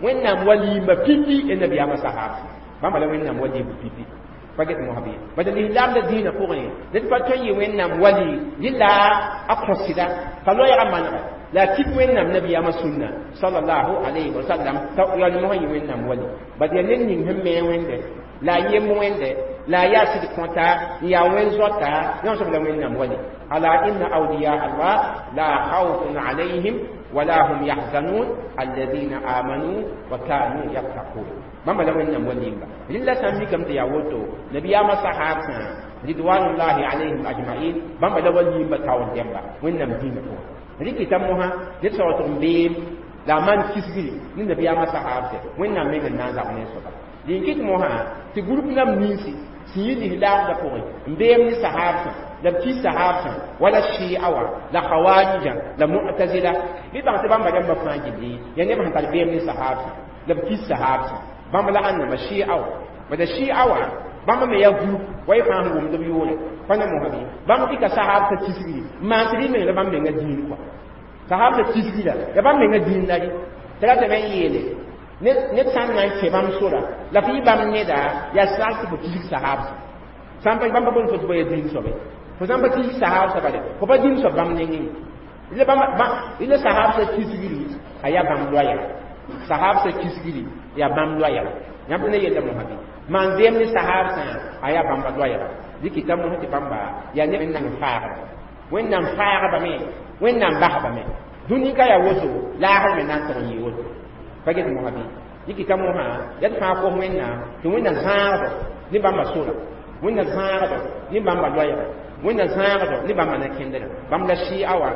Wẽnnaam wa liimba pipi ya nabiyaamã sahab bãmba la Wẽnnaam wa liimb pipi pa get mosã bɩ bad lislaamda dĩinã pʋgẽ ned pa tõe n yɩ Wẽnnaam wali rɩla a kõ sɩda t'a loɛɛgã manega la a kit Wẽnnaam nabiyaamã sũnna sallallahu alayhi wa sallam t'a yaa mosã yɩ Wẽnnaam wali bad yaa ned ning sẽn me Wẽnde la a yem Wẽnde la a yaa sɩd kõta n yaa wẽn zoata yõ soab la Wẽnnaam wali ala inna awliya Allah la khawfun alayhim wala hum yahzanun alladhina amanu wa kanu yattaqun bãmba la Wẽnnaam wa limba rɩla sã n mikame tɩ yaa woto nabiyaamã sahabsã ridwanullahi alayhim ajmain bãmba la wa limba taoor dẽmba Wẽnnaam dĩinã pʋgẽ rɩkɩta mosã ned soab tɩg n beem la a maan kisgri ne nabiyaamã sahabsɛ Wẽnnaam meng n na n zab ne soaba dĩn kɩt mosã tɩ group nam ninsi sẽn yi lislaamdã pʋgẽ n beem ne sahabsã la b kis sahabsã wala shia wã la khawarija la mu'tazila bɩ bãng tɩ bãmba rãmbã fãa gilli yaa neb sẽn tar beem ne sahabsã la b kis sahabsã bãmb la ãnnama shia wã bada shia wã bãmb me yaa group wa y fãa sẽn wʋmd b yʋʋre pa ne mosã bɩ bãmb dɩka sahabsã kisgri n maan tɩ rɩ meng la bãmb menga dĩin kɔa sahabsã kisgri la ya bãmb menga dĩin la rɩ tɩ ratame n yeele ned sã n na n kẽ bãmb sora la f yɩ bãmb neda yaa sag tɩ fo kisg sahabsã sã n pa bãmb pa boond fo tɩ fo ya dĩin soabe fo sã n pa kisg sahabsã bale fo pa dĩin soab bãmb nengẽ rɩla sahabsã kisgri a yaa bãmb loɛɛga sahabsã kisgri yaa bãmb loɛɛga yãmb ne yella mosã bɩ maan beem ne sahabsã a yaa bãmba loɛɛga dɩkɩta mosã tɩ bãmba yaa neb n nan faagba Wẽnnaam faagba me Wẽnnaam basba me dũni ka yaa woto laasr me na n tʋg n yɩ woto pa get mosã bɩ dɩkɩta mosã yaa d fãa kos Wẽnnaam tɩ Wẽnna zãagdo ne bãmba sora Wẽnna zãagdo ne bãmba loɛɛga Wẽnna zãagdo ne bãmba na-kẽndrã bãmb la shia wã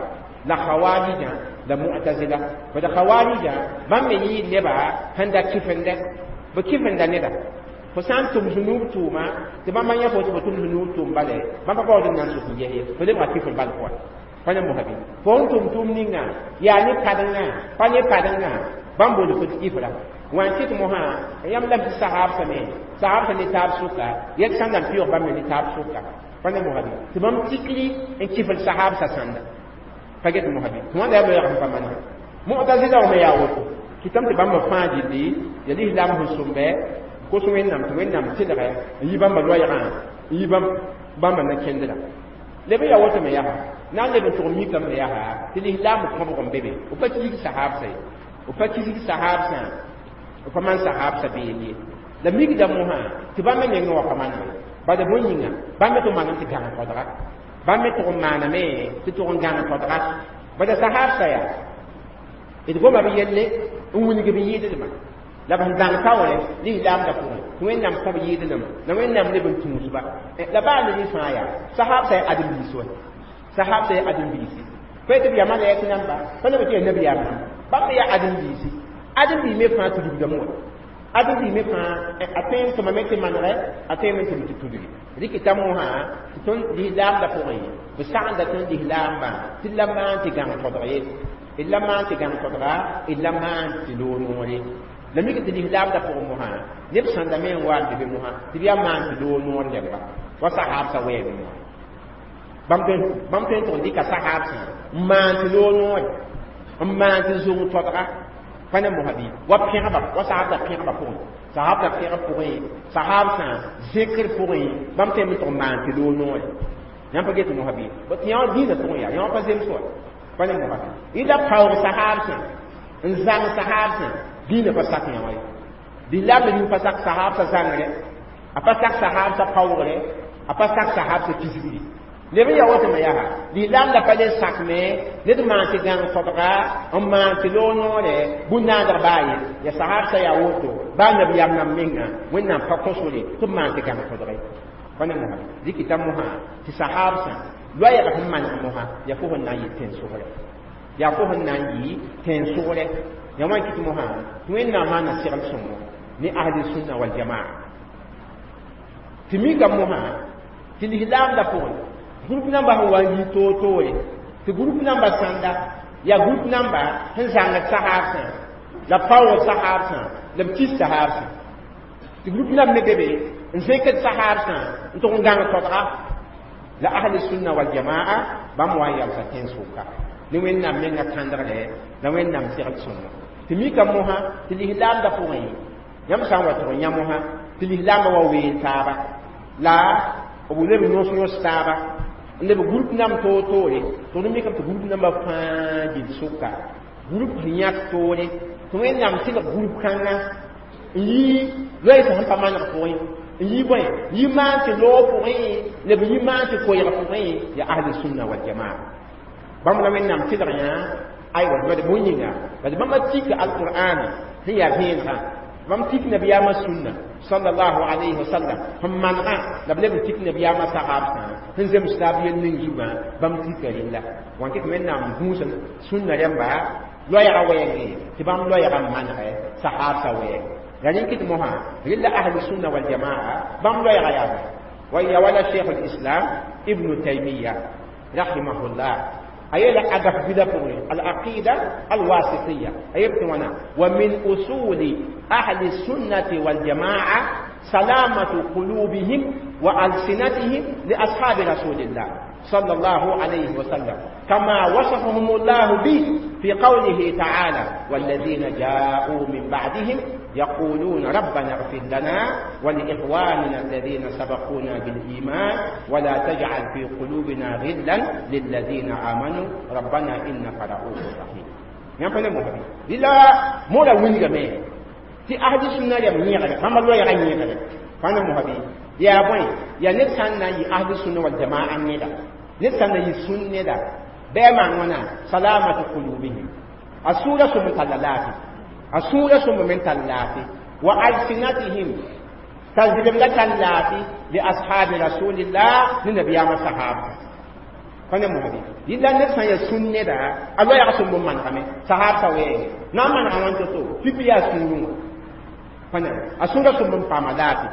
la khawarija la mu'tazila bad khawarija bãmb me yɩɩ neba sẽn da kɩfendɛ b kɩfenda neda fo sã n tʋm zũnuub tʋʋma tɩ bãmba yã fo tɩ fo tʋm zũnuub tʋʋm bale bãmba baood n na n sʋk n ges ye fo lebga kɩfr bal pʋga pa ne mosã bɩ fo n tʋm tʋʋm ninga yaa ne padengã pa ne padengã bãmb boond fo tɩ kɩfra wã n kɩt mosã yãmb la tɩ sahabsã me sahabsã ne taab sʋka yɛl sãn na n pɩʋg bãmb me ne taab sʋka pa ne mosã bɩ tɩ bãmb tikri n kɩfr sahabsã sãnda pa get mosã bɩ tɩ wãnda yaa loɛɛg sẽn pa manega mu'tazila wã me yaa woto kɩtame tɩ bãmba fãa gilli ya lislaam sẽn sõmbɛ kos Wẽnnaam tɩ Wẽnnaam tɩlgɛ n yi bãmba loɛɛgã n yi bãmba na-kẽndrã leb n yaa woto me yaa na n leb n tʋg mikame me yaa tɩ lislaam kõbg n be be b pa kisg sahabsã ye b pa kisg sahabsã b pa maan sahabsã beem ye la mikda mosã tɩ bãmb me nengẽ wã pa manega bad bõe yĩnga bãmb me tɩ manam tɩ gãng todga bãmb me tʋg n maaname tɩ tʋg n gãng todga bada sahabsã yaa d goma b yelle n wilg b yɩɩdlma la b sẽn dãng taoore lislaamdã pʋgẽ tɩ Wẽnnaam kõ b yɩɩdlma la Wẽnnaam leb n tũusba la baa ned n fãa yaa sahabsã yaa ãdem-biis wa sahabsã yaa ãdem-biisi pa tɩ b yaa malɛk namba pa leb tɩ yaa nabiyaam namba bãmb me yaa ãdem-biisi ãdem-biis me fãa tudgdame wa ãdem-biis me fãa a tõe n tʋmame tɩ manegɛ a tõe me tʋm tɩ tudgi rɩkɩta mosã tɩ tõnd lislaamdã pʋgẽ b sagenda tõnd lislaambã tɩ la maan tɩ gãng todg ye d la maan tɩ gãng todga d la maan tɩ loog noore la mik tɩ lislaamdã pʋgẽ mosã neb sãndame n wa n be be mosã tɩ b yaa maan tɩ loog noor lebga wa sahabsã wɛɛme mosã bãmb tõe n tʋg n dɩka sahabsã n maan tɩ loog noore n maan tɩ zong todga pa ne mosã bɩ wa pẽgba wa sahabsã pẽgba pʋgẽ sahabsã pẽgb pʋgẽ sahabsã zẽkr pʋgẽ bãmb tõe n tʋg n maan tɩ loog noore yãmb pa get mosã bɩ tɩ yã wã dĩinã pʋgẽ yaa yã wã pa zems wa pa ne mosã bɩ y la paoog sahabsã n zãng sahabsã dĩinã pa sak yã wã ye lislaam rĩm pa sak sahabsã zãngre a pa sak sahabsã paoogre a pa sak sahabsã kisgri leb n yaa woto me yaa lislaam la pa le sak me ned maan tɩ gãng todga n maan tɩ loog noore bũn-naadg baa ye ya sahabsã yaa woto baa nabiyaam nam menga Wẽnnaam pa kõ sore tɩ b maan tɩ gãng todge pa ne mosã dɩkɩta mosã tɩ sahabsã loɛɛg sẽn maneg mosã yaa fo sẽn na n yɩ tẽn-sʋgrɛ yaa fo sẽn na n yɩ tẽn-sʋgrɛ ya wã kɩt mosã tɩ Wẽnnaam maana segl sõngo ne ahli sunna wal jamaa tɩ mika mosã tɩ lislaamdã pʋgẽ group namba sẽn wa n yi toor-toore tɩ group namba sãnda yaa group namba sẽn zãngd sahabsã la paoog sahabsã la b kis sahabsã tɩ group namba me be be n zẽkd sahabsã n tʋg n gãng todga la ahli sunna wal jamaa bãmb wa n yalsa tẽn-sʋka ne Wẽnnaam menga kãndgre la Wẽnnaam segl sõngo Tɩ mika mosã tɩ lislaamdã pʋgẽ yãmb sã n wa tʋg yã mosã tɩ lislaambã wa weel taaba la b leb yõs yõs taaba n leb group nam toor-toore. Tɩ d mikame tɩ group nambã fãa gill sʋka group sẽn yãk toore tɩ Wẽnnaam tɩlg group kãngã n yi loeesã sẽn pa maneg pʋgẽ, n yi bõe, yi maan tɩ loog pʋgẽ, leb yi maan tɩ koɛɛg pʋgẽ ya ahli sunna wal jamaa. Bãmb la Wẽnnaam tɩlg yã aywa bad bõe yĩnga bad bãmba tik alqur'ana sẽn yaa vẽenegã, bãmb tik nabiyaamã sũnna sallallahu alayhi wa sallam sẽn manegã, la b leb n tik nabiyaamã sahabsã sẽn zems taab yel ning zugã, bãmb tika rẽnda wãn kɩ tɩ Wẽnnaam gũus sũnna rẽmba loɛɛgã wɛɛngẽ tɩ bãmb loɛɛgã n manegɛ sahabsã wɛɛng la rẽ kɩt mosã rella ahli sunna wal jamaa bãmb loɛɛgã yaa bõe wa ya wala cheikh lislam Ibnu Taymiya rahimahullah ayela agaf bida pʋgẽ al-aqida alwasitiya ayeb tɩ wãna wa min usuli ahli sunnati waljamaa salamatu qulubihim wa alsinatihim li ashabi rasulillah صلى الله عليه وسلم كما وصفهم الله به في قوله تعالى: والذين جاءوا من بعدهم يقولون ربنا اغفر لنا ولإخواننا الذين سبقونا بالإيمان ولا تجعل في قلوبنا غلا للذين آمنوا ربنا إنك رؤوف رحيم. Yãmb pa ne mosã la moora wilgame tɩ ahli sunna rem yẽgre bãmba loɛɛgã yẽgre pa ne mosã bɩ yaa bõe yaa ned sã n na n yɩ ahli sunna wal jamaa neda, ned sã n na yɩ sũn neda bɩ a maan wãna salamatu qulubihim a sũurã sõm n talla laafɩ, a sũurã sõm me n tar laafɩ wa alsinatihim t'a zɩlemda tar laafɩ li ashabi rasulillah ne nabiyaamã sahaba pa ne mosã bɩ yɩla ned sã n yaa sũn neda a loɛɛg sõm n manegame sahabsã wɛɛngẽ na n manega wãn to-to pipi yaa sũurẽ wã pa ne a sũurã sõm n paama laafɩ,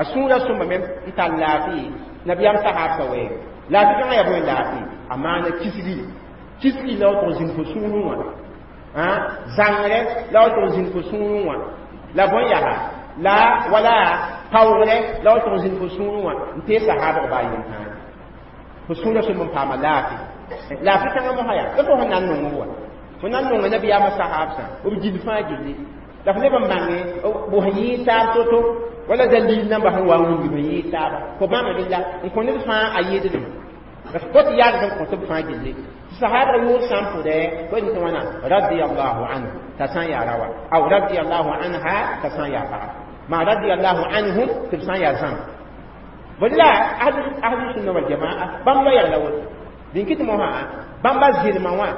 a sũurã sõma me n tar laafɩ nabiyaam sahabsã wɛɛngẽ. Laafɩ kãngã yaa bõe laafɩ a maana kisgi kisgi la wa tʋg zĩnd fo sũurẽ wã zãngre la wa tʋg zĩnd fo sũurẽ wã la bõe yaa la wala paoogre la wa tʋg zĩnd fo sũurẽ wã n tee sahabg baa yen tãa fo sũurã sõm n paama laafɩ. Laafɩ kãngã mosã yaa la fo sẽn na n nong wa fo na n nonga nabiyaamã sahabsã b gill fãa gilli la f leb n bãnge bʋ sẽn yɩɩ taab to-to wala dalil namba sẽn wa n wilg sẽn yɩɩ taaba fo bãmb rɩla n kõ ned fãa a yɩɩdlem la f kot yaad n kõ tɩ b fãa gilli sahaba yʋʋr sã n pʋdɛ fo tɩ wãna radiallahu anhu t'a sã n yaa rawa aw radiallahu anha t'a sã n yaa paga ma radiallahu anhum tɩ b sã n yaa zãm bõe la ahlu sunna wal jamaa bãmb loɛɛg la woto dĩn kɩ tɩ mosã bãmba zɩlmã wã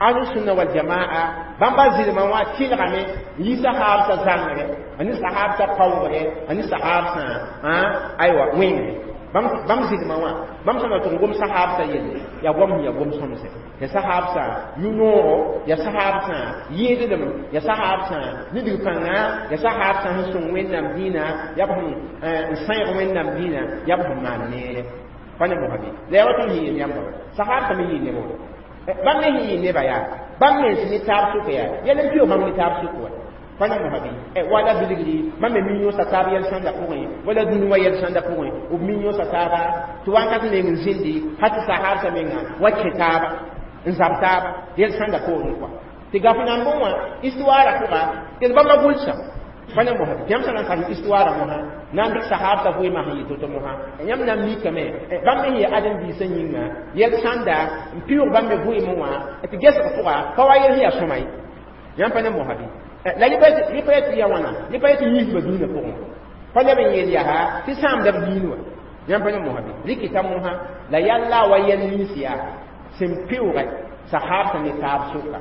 ahlu sunna wal jamaa bãmba zɩlmã wã tɩlgame n yi sahabsã zãngre a ne sahabsã paoogre a ne sahabsã aywa wẽngre bãmb zɩlmã wã bãmb sã na tʋg gom sahabsã yelle yaa goam sẽn yaa gom sõmse ya sahabsã yũ-noogo ya sahabsã yẽedlem ya sahabsã nidg pãnga ya sahabsã sẽn sõng Wẽnnaam dĩinã ya b sẽn n sãeeg Wẽnnaam dĩinã ya b sẽn maan neere pa ne mosã bɩ la yaa wa tõnd sẽn yeel yãmba sahabsã me yɩɩ neb bãmb me sẽn yɩ neba yaa bãmb mens ne taab sʋka yaa yɛl n pɩʋ bãmb ne taab sʋk wa pa ne mosã bɩ wala bilgri bãmb me mi yõsa taab yɛl sãnda pʋgẽ wala dũni wa yɛl sãnda pʋgẽ b mi yõsa taaba tɩ wakat meng n zĩndi ha tɩ sahabsã menga wa kẽ taaba n zab taaba yɛl sãnda poorẽ kɔa tɩ gaf nambẽ wã histoire pʋga d bãmba gʋlsa pa ne mosã tɩ yãmb sã na n karem histoire mosã na n dɩk sahabsã vɩɩmã sẽn yɩ to-to mosã yãmb na n mikame bãmb me yɩ ãdem-biisã yĩnga yɛl sãnda n pɩʋʋg bãmb me vɩɩmẽ wã tɩ gesg pʋga pa wa yɛl sẽn yaa sõma ye yãmb pa ne mosã bɩ la yẽ pa yetɩ ya wãna yẽ pa yetɩ yiisba dũnã pʋgẽ pa leb n yeel yaa tɩ sãamda b diin wa yãmb pa ne mosã bɩ rɩkɩta mosã la yalla wa yɛl nins yaa sẽn pɩʋʋgɛ sahabsã ne taab sʋka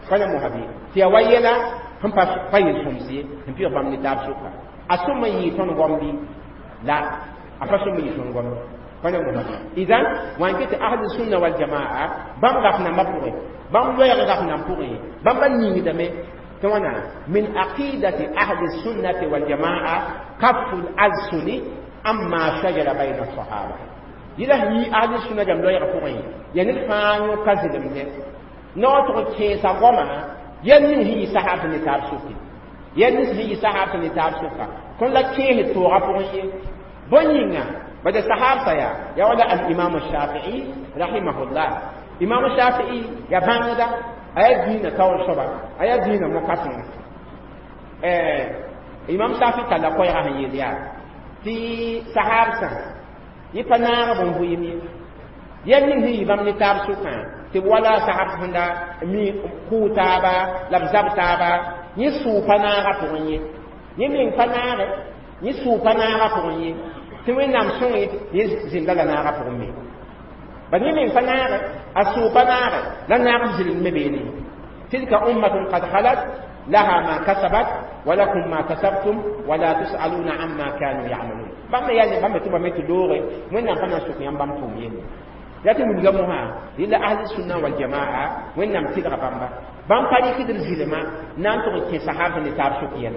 pa ne mosã bɩ tɩ yaa wa yɛla sẽn pa yel sõms ye sẽn pɩʋg bãmb ne taab sʋka a sõm n yɩɩ tõnd goam bɩ la a pa sõm n yɩ tõnd goam pa ne mosã bɩ idan wãn kɩ tɩ ahli sunna wal jamaa bãmb gaf nambã pʋgẽ bãmb loɛɛg gaf nan pʋgẽ bãmba ningdame tɩ min aqidati ahli sunnati wal jamaa kafu lalsuni amma shajara bayna sahaba yɩla sẽn yi ahli sunna jam loɛɛg pʋgẽ ya ned fãa yõ ka zɩlemdẽ naoog tʋg kẽesa goama yɛl ning sẽn yɩ sahab ne taab sʋke yɛl ning sẽn yɩ sahab ne taab sʋka tõnd la kẽes toogã pʋgẽ ye bõe yĩnga bada sahabsã yaa ya wala al-imam Shafii rahimahullah imam Shafii ya bãngda A yaa dĩinã taoor soaba, a yaa dĩinã mo-kãseng. Imam Shafi talla koɛɛgã sẽn yeel yaa tɩ sahaabsã yẽ pa naag b n vɩɩm ye, yɛl ning sẽn yɩ bãmb ne taab sʋkã, tɩ b wala sahab sẽn da mi kʋʋ taaba la b zab taaba, yẽ sʋʋ pa naagã pʋgẽ ye, yẽ meng pa naage, yẽ sʋʋ pa naagã pʋgẽ ye, tɩ Wẽnnaam sõng yẽ zĩnda la naagã pʋgẽ me. Bad yẽ meng pa naage, a sʋʋ pa naage, la naag b zɩlem me beene. Tilka ummatun qad khalat, laha ma kasabat wa lakum ma kasabtum wa la tus'aluna amma kanu ya'malun. Bãmb me yaa bãmb me tɩ bame tɩ looge Wẽnnaam pa na n sok yãmb bãmb tʋʋm yelle. Ya tɩ wilga mosã rɩla ahli sunna wal jamaa Wẽnnaam tɩlga bãmba, bãmb pa rɩkdr zɩlma na n tʋg n kẽ sahab ne taab sʋk yɛl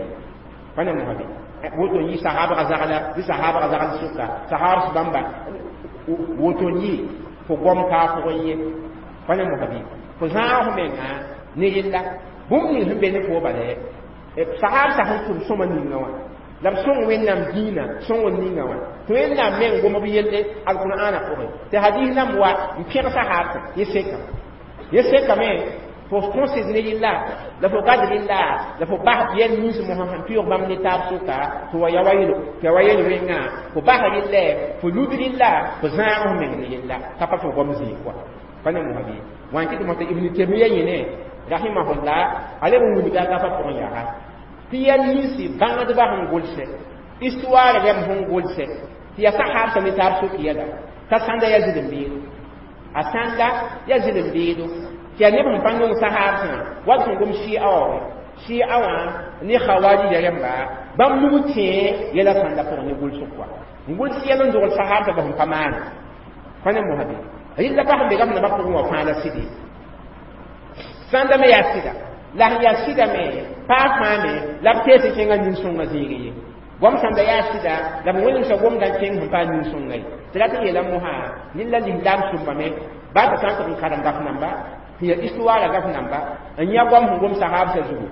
pa ne mosã be woto n yɩ sahabga zagla bɩ sahabga zagl sʋka sahab bãmba woto n yɩ fo gom kaa pʋgẽ ye pa ne mosã bɩ fo zãag f menga ne yella bũmb ning sẽn be ne fo bala sahab sa sẽn tʋm sõma ninga wã la b sõng Wẽnnaam dĩinã sõng ninga wã tɩ Wẽnnaam meng gom b yelle alqur'ana pʋgẽ, tɩ hadis nãmb wa n pẽg sahabsã. Yẽ sekame, yẽ sekame fo kõsd ne yella la fo gad rɩlla la fo bas yɛl nins mosã sẽn pɩʋg bãmb ne taab sʋka tɩ wa ya wa yelo tɩ ya wa yel wẽngã fo bas rɩllɛ, fo lud rɩlla, fo zãag f meng ne yella t'a pa fo gom zĩig kɔa pa ne mosã bɩ wã n kɩt mosã. Ibn Temiya yẽne rahimahullah a leb n wilga a gafa pʋgẽ yaa tɩ yɛl ninsi bãngdbã sẽn gʋlsɛ histoire rɛm sẽn gʋlsɛ tɩ yaa sahabsã ne taab sʋk yɛla t'a sãnda yaa zɩlem-beedo, a sãnda yaa zɩlem-beedo, tɩ yaa neb sẽn pa nong sahabsã wat sẽn gom Shia wã, Shia wã ne Khawarija rẽmba bãmb nug tẽe yɛla sãnda pʋgẽ ne gʋlsg kɔa n gʋls yɛl n dogl sahabsã ba sẽn pa maana pa ne mosã be rɩlla pa sẽn be gam nabã pʋgẽ wã fãa la sɩd ye sãnda me yaa sɩda la sẽn yaa sɩda me paa fãa me la b tees n kẽngã nin-sõngã zĩig ye goam sãnda yaa sɩda la b wẽnemsã gomda n kẽng sẽn paa nin-sõnga ye tɩ rat n yeela mosã ned la lislaam sʋmbame baa t'a sã n tɩg n karem gaf namba sẽn yaa histoire gaf namba n yã goam sẽn gom sahabsã zugu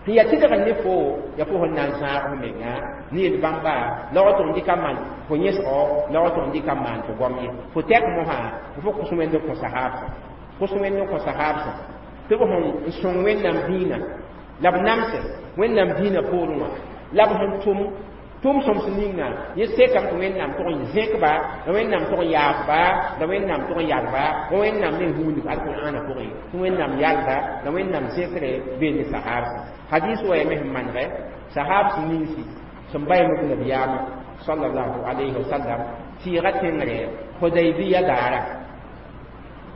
sẽn yaa tɩdg ne fo ya fo sẽn na n zãag f menga ne yel bãmba la wa tʋg n dɩka maan fo yẽsgo la wa tʋg n dɩka maan fo goam ye fo tɛk mosã fo kos Wẽnd n kõ sahabsã, kos Wẽnd n kõ sahabsã tɩ b sẽn n sõng Wẽnnaam dĩinã la b namsɛ Wẽnnaam dĩinã poorẽ wã la b sẽn tʋm tʋm sõms ninga yẽ sekame tɩ Wẽnnaam tʋg n zẽkba la Wẽnnaam tʋg n yaafba la Wẽnnaam tʋg n yalba wa Wẽnnaam meng huundb alqur'ana pʋgẽ tɩ Wẽnnaam yalda la Wẽnnaam zẽkre bee ne sahabsã. Hadis wa ya me sẽn manegɛ sahabs ninsi sẽn ba yemb nabiyaamã sallallahu alayhi wa sallam tɩɩga tẽngre Hudaybiya daara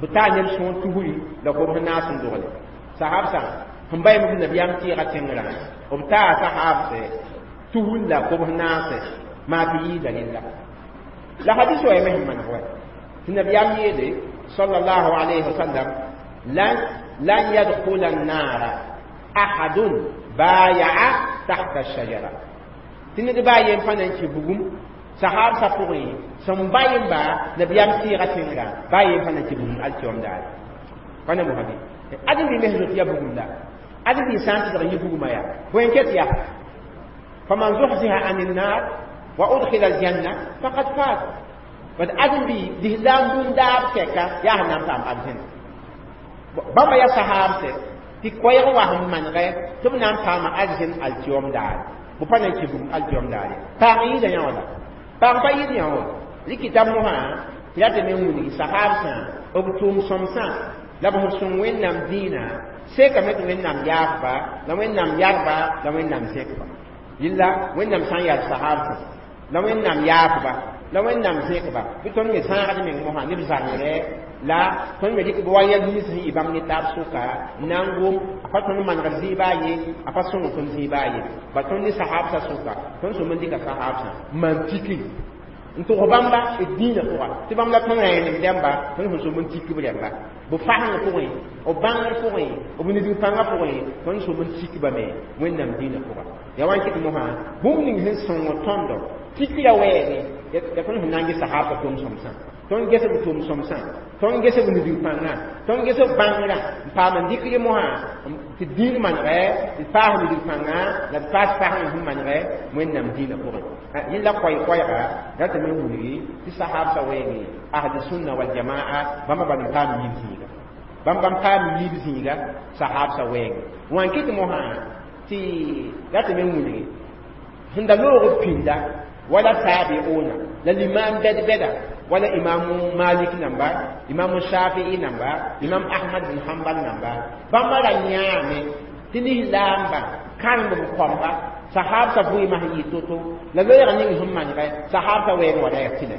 b taa neb sõor tusri la kobs naas n dogle sahabsã sẽn ba yemb nabiyaam tɩɩga tẽngrã b taa sahabsɛ tusr la kobs naase maa tɩ yɩɩda rella la hadis wa ya me sẽn maneg wa tɩ nabiyaam yeele sallallahu alayhi wa sallam lan yadkhula an-nara ahadun baya'a tahta ash-shajara tɩ ned baa yen pa na n kẽ bugum sahabsã pʋgẽ sẽn ba yemba nabiyaam tɩɩga tẽngrã baa yen pa na n kẽ bugum alkiom daare pa ne mosã bɩ adem bɩ mes zoet ya bugum la adem bɩ sã n tɩlg yɩ bugumã yaa bõe n ket yaa faman zuhziha ani nnar wa udkhila aljanna faqad faz bad adem bɩ lislaam bũn-daab tɛka yaa sẽn na n paam arzẽna bãmba yaa sahabsɛ tɩ koɛɛg wa sẽn manegɛ tɩ b na n paama arzẽn alkiom daare bɩ pa na n kẽ bugum alkiom daare paag yɩɩda yã wã la paag pa yɩɩd yã wã rɩkɩta mosã tɩ ra tɩ me wilgi sahabsã b tʋʋm sõmsã la b sẽn sõng Wẽnnaam dĩinã sekame tɩ Wẽnnaam yaafba la Wẽnnaam yalba la Wẽnnaam zẽkba yella Wẽnnaam sã n yal sahabsã la Wẽnnaam yaafba la Wẽnnaam zẽkba bɩ tõnd me zãagd meng mosã ne b zãngre la tõnd me dɩk b wa yɛl nins sẽn yɩ bãmb ne taab sʋka n na n gom a pa tõnd manegd zĩiba ye a pa sõng tõnd zĩiba ye ba tõnd ne sahabsã sʋka tõnd sõm n dɩka sahabsã maan tikri n tʋg bãmba d dĩinã pʋga tɩ bãmb la tõnd rẽenem rãmba tõnd sẽn sõm n tik b rãmba b fasẽng pʋgẽ b bãngr pʋgẽ b nidg pãngã pʋgẽ tõnd sõm n tikba me Wẽnnaam dĩinã pʋga ya wa n kɩt mosã bũmb ning sẽn sõng tõndo tikra wɛɛge ya tõnd sẽn na n ges sahabsã tʋm sõmsã tõnd ges b tʋm sõmsã tõnd ges b nidg pãngã tõnd ges b bãngrã n paam n dɩk mosã tɩ dĩin manegɛ d paas nidg pãngã la d paas fasẽng sẽn manegɛ Wẽnnaam dĩinã pʋgẽ yẽla koɛɛ-koɛɛga ra tɩ me wilgi tɩ sahabsã wɛɛngẽ ahli sunna wal jamaa bãmba bal n paam yib zĩiga. Bãmb paam yiib zĩiga sahaabsã wɛɛngẽ wã n kɩt mosã tɩ ratame n wilgi sẽn da loog b pĩnda wala taabiuna la limam bɛd-bɛda wala imamu malik namba, imamu shafii namba, imam ahmad bin hanbal namba. Bãmba ra yãame tɩ lislaamba kãremb b kõmba sahabsã vɩɩmã sẽn yɩ to-to la loeeg ning sẽn manegɛ sahabsã wɛɛng wa ra yaa tɩlɛ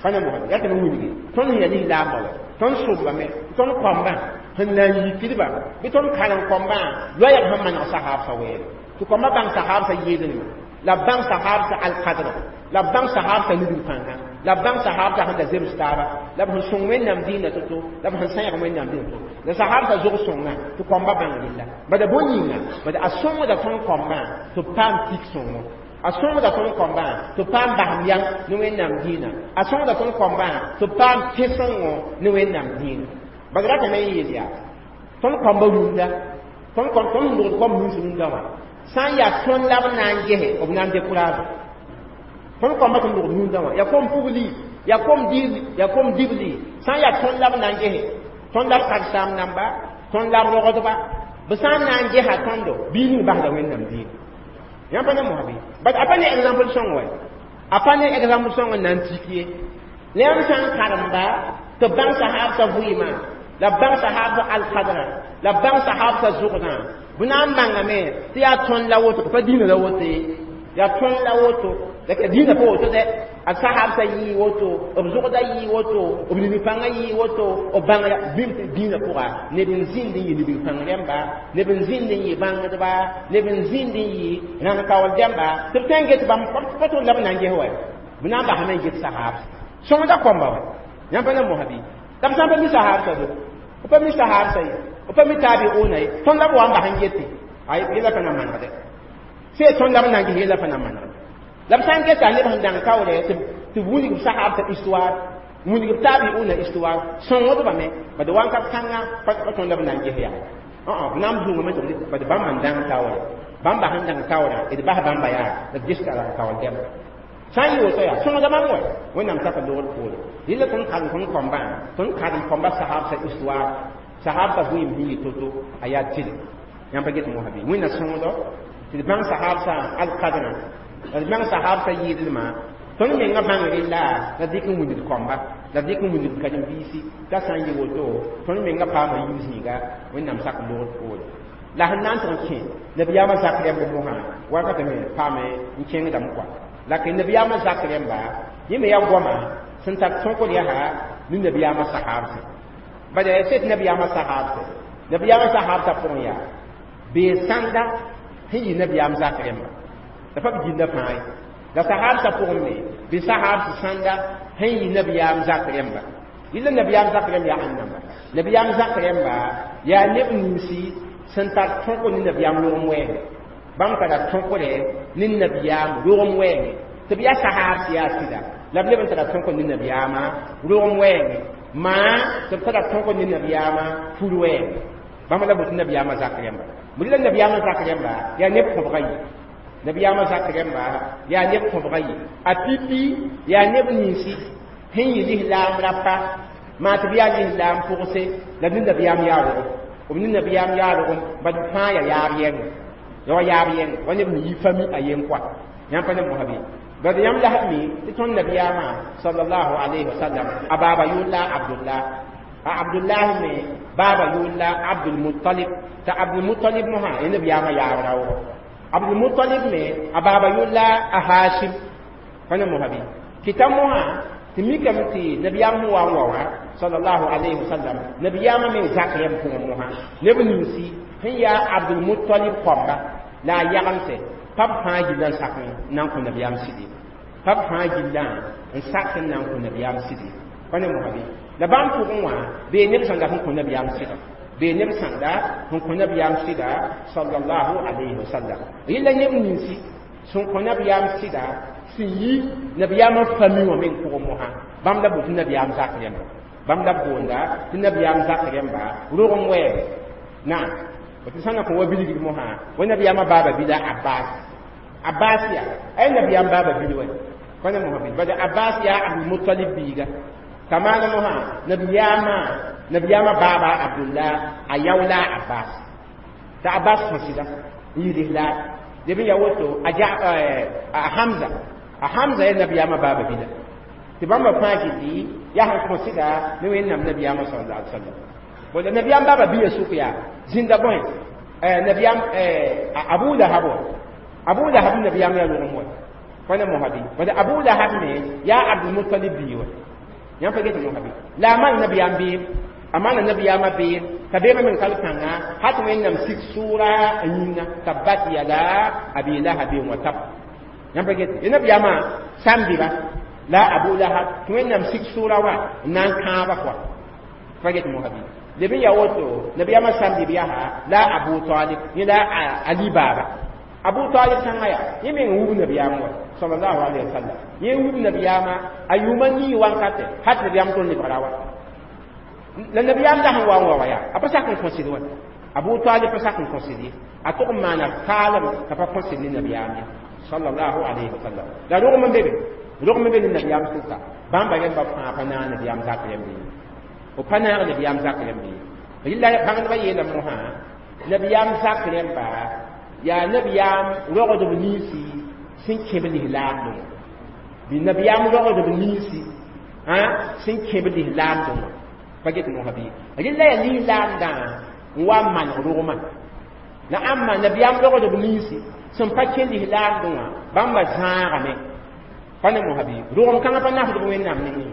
pa ne mosã yaa tɩ me wilgi tõnd sẽn yaa lislaamba wa tõnd sʋmbame tõnd kõmbã sẽn na n yikdba bɩ tõnd karen kõmbã loɛɛg sẽn maneg sahabsã wɛɛng tɩ kõmbã bãng sahabsã yɩɩdnema la bãng sahabsã alkadra la bãng sahabsã nidg pãnga la bãng sahabsã sẽn da zems taaba la b sẽn sõng wẽnnaam dĩinã to-to la b sẽn sãyg wẽnnaam dĩinã to la sahabsã zog sõnga tɩ kõmbã bãng rella bada bõe yĩnga bad a sõngda tõnd kõmbã tɩ b paam tik sõngo a sõngda tõnd kõmbã tɩ b paam basem yam ne wẽnnaam dĩinã a sõngda tõnd kõmbã tɩ b paam tẽ sõngo ne wẽnnaam dĩinã bad ratame n yeel yaa tõnd kõmba rũndã tõnd tõnd sẽn logd kõmb nins rũndã wã sã n yaa tõnd la b na n gese b na n décourage tõnd kõmba sẽn logd rũndã wã yaa kom pugli yaa kom dibli yaa kom dibli sã n yaa tõnd la b na n gese tõnd la b karsaam namba tõnd la b rogdba b sã n na n gesa tõndo bii ning basda wẽnnaam dĩinã yãmb pa ne mosã bɩ bat a pa ne exemple sõng wa a pa ne exemple sõng n na n tik ye la yãmb sã n karemba tɩ bãng sahaabsã vɩɩmã la bãng sahaabsã alkadrã la bãng sahaabsã zʋgdã b na n bãngame tɩ yaa tõnd la woto pa dĩinã la woto ye yaa tõnd la woto la ka dĩinã pa woto dɛ a sahaabsã yɩɩ woto b zʋgda yɩɩ woto b nidg-pãngã yɩɩ woto b bãngra bɩm tɩ dĩinã pʋga neb n zĩnd n yɩ nidg-pãng rẽmba neb n zĩnd n yɩ bãngdba neb n zĩnd n yɩ rãng kaool dẽmba tɩ b tõe n get bãmb pa tõnd la b na n ges wa b na n basame n get sahaab sõngda kõmba wa yãmb pa na mosã bɩ la b sã n pa mi sahaabsã do b pa mi sahaabsã ye b pa mi taabiuna ye tõnd la b wa n bas n gete ay yɛla pa na manegdɛ sẽn tõnd la b na n ges yɛla pa na manegdɛ la b sã n geta neb sẽn dãng kaoolɛ tɩ wilg b sahaabsã histoire wilg b taabiuna histoire sõngdbame bad wãnkat kãngã pa tõnd la b na n ges yaa b na n zũngame tɩ bad bãmb n dãng taoore bãmba sẽn dãng taoorã d bas bãmba yaa la d ges rãng kaool dɛmba sã n yɩ woto yaa sõngda bãmb wa wẽnnaam saka logr poore yella tõnd karem tõnd kõmbã tõnd karem kõmba sahaabsã histoire sahaabsã vɩɩm sẽn yɩ to-to a yaa tɩlɛ yãmb pa get mosã bɩ wẽnna sõngdo tɩ d bãng sahaabsã alkadrã la d bãng sahaabsã yɩɩdlmã tõnd menga bãng rella la dɩk n wilg kõmba la dɩk n wilg karen-biisi t'a sã n yɩ woto tõnd menga paama yiib zĩiga wẽnnaam sak logr poore la sẽn na n tɩg n kẽ nabiyaamã zak rẽmb mosã wakatame paame n kẽngdame kɔa la kɩ nabiyaamã zak rẽmba yẽ me yaa goama sẽn tar tõkd yaa ne nabiyaamã sahaabsã bala yaa sed nabiyaamã sahaabsã nabiyaamã sahaabsã pʋgẽ yaa bee sãnda sẽn yɩ nabiyaam zak rẽmba la pa b gilda fãa ye la sahaabsã pʋgẽ me bɩ sahaabsã sãnda sẽn yɩ nabiyaam zak rẽmba yɩla nabiyaam zak rẽmb yaa ãnnamba nabiyaam zak rẽmba yaa neb ninsi sẽn tar tõk ne nabiyaam rogem wɛɛngẽ bãmb tara tõkre ne nabiyaam rogem wɛɛngẽ tɩ b yaa sahaabs yaa sɩda la b leb n tara tõk ne nabiyaamã rogem wɛɛngẽ maa tɩ b tara tõk ne nabiyaamã fur wɛɛngẽ bãmb la bot nabiyaamã zak rẽmba bõe la nabiyaamã zak rẽmba yaa neb kõbga yɩ nabiyaamã zak rẽmba yaa neb kõbga yɩ a pipi yaa neb ninsi sẽn yɩ lislaam rapa maa tɩ b yaa lislaam pʋgse la ne nabiyaam yaa rogem b ne nabiyaam yaa rogem bad fãa yaa yaab yɛngẽ ya wa yaab yɛngẽ wa neb sẽn yi fami a yen koa yãmb pa ne mosã bɩ bad yãmb la mi tɩ tõnd nabiyaamã sallallahu alayhi wa sallam a baaba yʋʋr la abdullah a abdullah me baaba yʋʋr la abdulmutalib t'a abdulmutalib mosã yẽ nabiyaamã yaab raoogo abdulmutalib me a baaba yʋʋr la a hashim pa ne mosã bɩ kɩta mosã tɩ mikame tɩ nabiyaam sẽn wa n wa wã sallallahu alayhi wa sallam nabiyaamã meng zak rẽmb pʋgẽ mosã neb ninsi sẽn yaa abdulmutalib kõmba la a yagemse pa b fãa gilla n sak n na n kõ nabiyaam sɩd ye pa b fãa gillã n sak n na n kõ nabiyaam sɩd ye pa ne mosã bɩ la bãmb pʋgẽ wã bee neb sãnda sẽn kõ nabiyaam sɩda bee neb sãnda sẽn kõ nabiyaam sɩda sallallahu alayhi wa sallam yella neb ninsi sẽn kõ nabiyaam sɩda sẽn yi nabiyaamã fami wã meng pʋgẽ mosã bãmb la boot nabiyaam zak rẽmba bãmb la b boonda tɩ nabiyaam zak rẽmba rogem wɛɛge naam tɩ sã n na kõ wa bilgd mosã wa nabiyaamã baaba bila abbas abbas yaa ay nabiyaam baaba bil wɛ pa ne mosã bil bala abbas yaa abdulmutalib biiga t'a maana mosã nabiyaamã Nabiyaamã baaba Abdullah a yaoola Abbas t'a Abbas kõ sɩda n yɩ lislaam leb n ya woto a Hamza a Hamza yaa nabiyaamã baaba bila tɩ bãmba fãa gilli yaa sẽn kõ sɩda ne Wẽnnaam nabiyaamã sallallahu alaihi wasallam. Bõe nabiyaam baaba biya sʋk yaa zĩnda bõe nabiyaam Abu Lahab wa Abu Lahab nabiyaam yaa rogem wa pa ne mosã bɩ bad Abu Lahab me yaa Abdulmutalib bii wa yãmb pa get mosã bɩ la a maan nabiyaam beem a maana nabiyaamã beem t'a beemã meng tall kãnga hat Wẽnnaam sik sʋʋra a yĩnga tabbat yada abi lahabin wa tab yãmb pa get ye nabiyaamã sãn-bɩba la Abu Lahab tɩ Wẽnnaam sik sʋʋra wa n na n kãaba pʋa pa get mosã bɩ leb n ya woto nabiyaamã sãn-bɩb yaa la Abu Talib yẽ la Ali baaba Abu Talib kãngã yaa yẽ meng wub nabiyaam wa sallallahu alaihi wasallam yẽ wub nabiyaamã a yʋʋma nii wankate hat nabiyaam tõnd lebgra wa la nabiyaam la sẽn wa n wa wa yaa a pa sak n kõ sɩd wa Abu Talib pa sak n kõ sɩd ye a tʋg n maana kaalem t'a pa kõ sɩd ne nabiyaam ye sallallahu alaihi wasallam la rogem n be be rogem n be ne nabiyaam sʋka bãmba rẽmba fãa pa naag nabiyaam zak rẽmbe ye b pa naag nabiyaam zak rẽmbe ye rɩla bãngdbã yeela mosã nabiyaam zak rẽmba yaa nabiyaam rogdb ninsi sẽn kẽb lislaamdẽ bɩ nabiyaam rogdb ninsi sẽn kẽb lislaamdẽ wã pa get mosã bɩ rɩla yaa lislaamdã n wa n maneg rogmã la ãmba nabiyaam rogdb ninsi sẽn pa kẽ lislaamdẽ wã bãmba zãagame pa ne mosã bɩ rogem kãngã pa nafdb Wẽnnaam nengẽ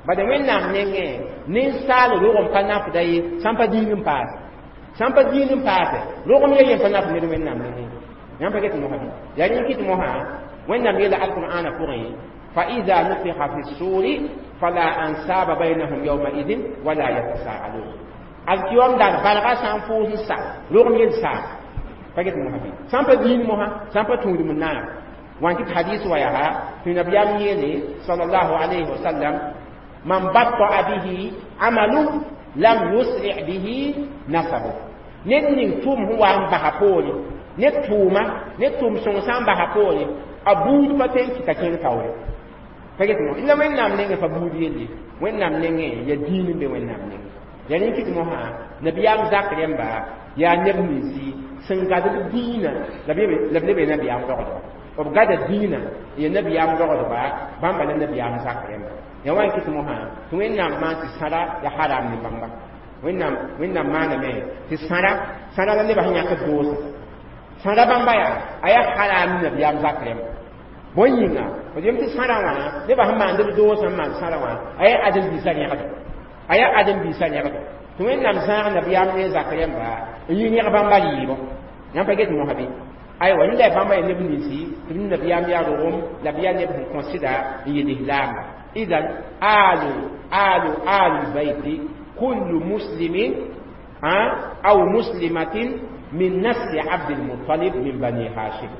bad Wẽnnaam nengẽ ninsaal rogem pa nafda ye sãn pa diin n paase sãn pa diin n paase rogem ya yen pa naf ned Wẽnnaam nengẽ yãmb pa get mosã bɩ yaa rẽ kɩt mosã Wẽnnaam yeela alqur'ana pʋgẽ فإذا نفخ في الصور فلا أنساب بينهم يومئذ ولا يتساءلون الكيوم دار بلغا سان فوز سا رغم يل سا فقط محبي سان pa diin moha sãn pa tũud m naar wan kɩt hadis wa yaa tɩ nabiyaam yeele sallallahu alayhi wasallam man batta'a bihi amalu lam yusri bihi nasabu ned ning tʋʋm sẽn wa n basa poore ned tʋʋma ned tʋʋm sõng sã n basa poore a buud pa tõe n kɩta kẽng taoore pa get mo la Wẽnnaam nengẽ pa buud yelle Wẽnnaam nengẽ ya diin n be Wẽnnaam nengẽ ya rẽ kɩt mosã nabiyaam zak rẽmba yaa neb ninsi sẽn gad b dĩinã la b leb nabiyaam rogdba b gada dĩinã ya nabiyaam rogdba bãmba la nabiyaam zak rẽmba ya wa n kɩt mosã tɩ Wẽnnaam maan tɩ sãra ya haram ne bãmba Wẽnnaam Wẽnnaam maaname tɩ sãra sãra la nebã sẽn yãkd doosa sãra bãmba yaa a yaa haram nabiyaam zak rẽmba bõe yĩnga d yem tɩ sãra wã nebã sẽn maand b doosã n maan sãra wã a yaa ãdem-biisã rẽgdo a yaa ãdem-biisã rẽgdo tɩ Wẽnnaam zãag nabiyaam ne zak rẽmba n yɩ rẽg bãmba rɩɩbɔ yãmb pa get mosã bɩ aywa rẽnda yaa bãmba yaa neb ninsi tɩ b nabiyaam yaa rogem la b yaa neb sẽn kõ sɩda n yɩ lislaamba idan alu alu alu lbayti kullu muslimin aw muslimatin min nasli Abdilmutalib min Bani Hashim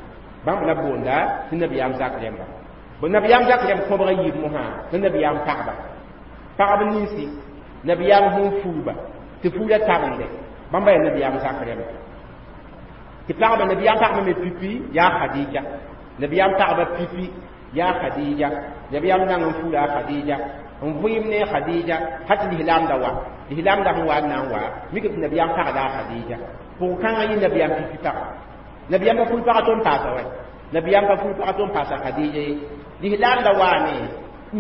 bãmb la boonda tɩ nabiyaam zak rẽmba nabiyaam zak rẽmb kõbg yiib mosã tɩ nabiyaam pagba pagb ninsi nabiyaam sẽn fuuba tɩ fuula tabende bãmba yaa nabiyaam zak rẽmba tɩ pagba nabiyaam pagba me pipi yaa Khadija nabiyaam pagba pipi yaa Khadija nabiyaam nan n fuula Khadija n vɩɩm ne Khadija hat lislaamda wa lislaamda sẽn wa n na n wa mik tɩ nabiyaam pagda a Khadija pʋg-kãngã yɩ nabiyaam pipi paga nabiyaam pa ful paga tɩ n paasa wɛ nabiyaam pa ful paga tɩ n paasa Khadija ye lislaamda waame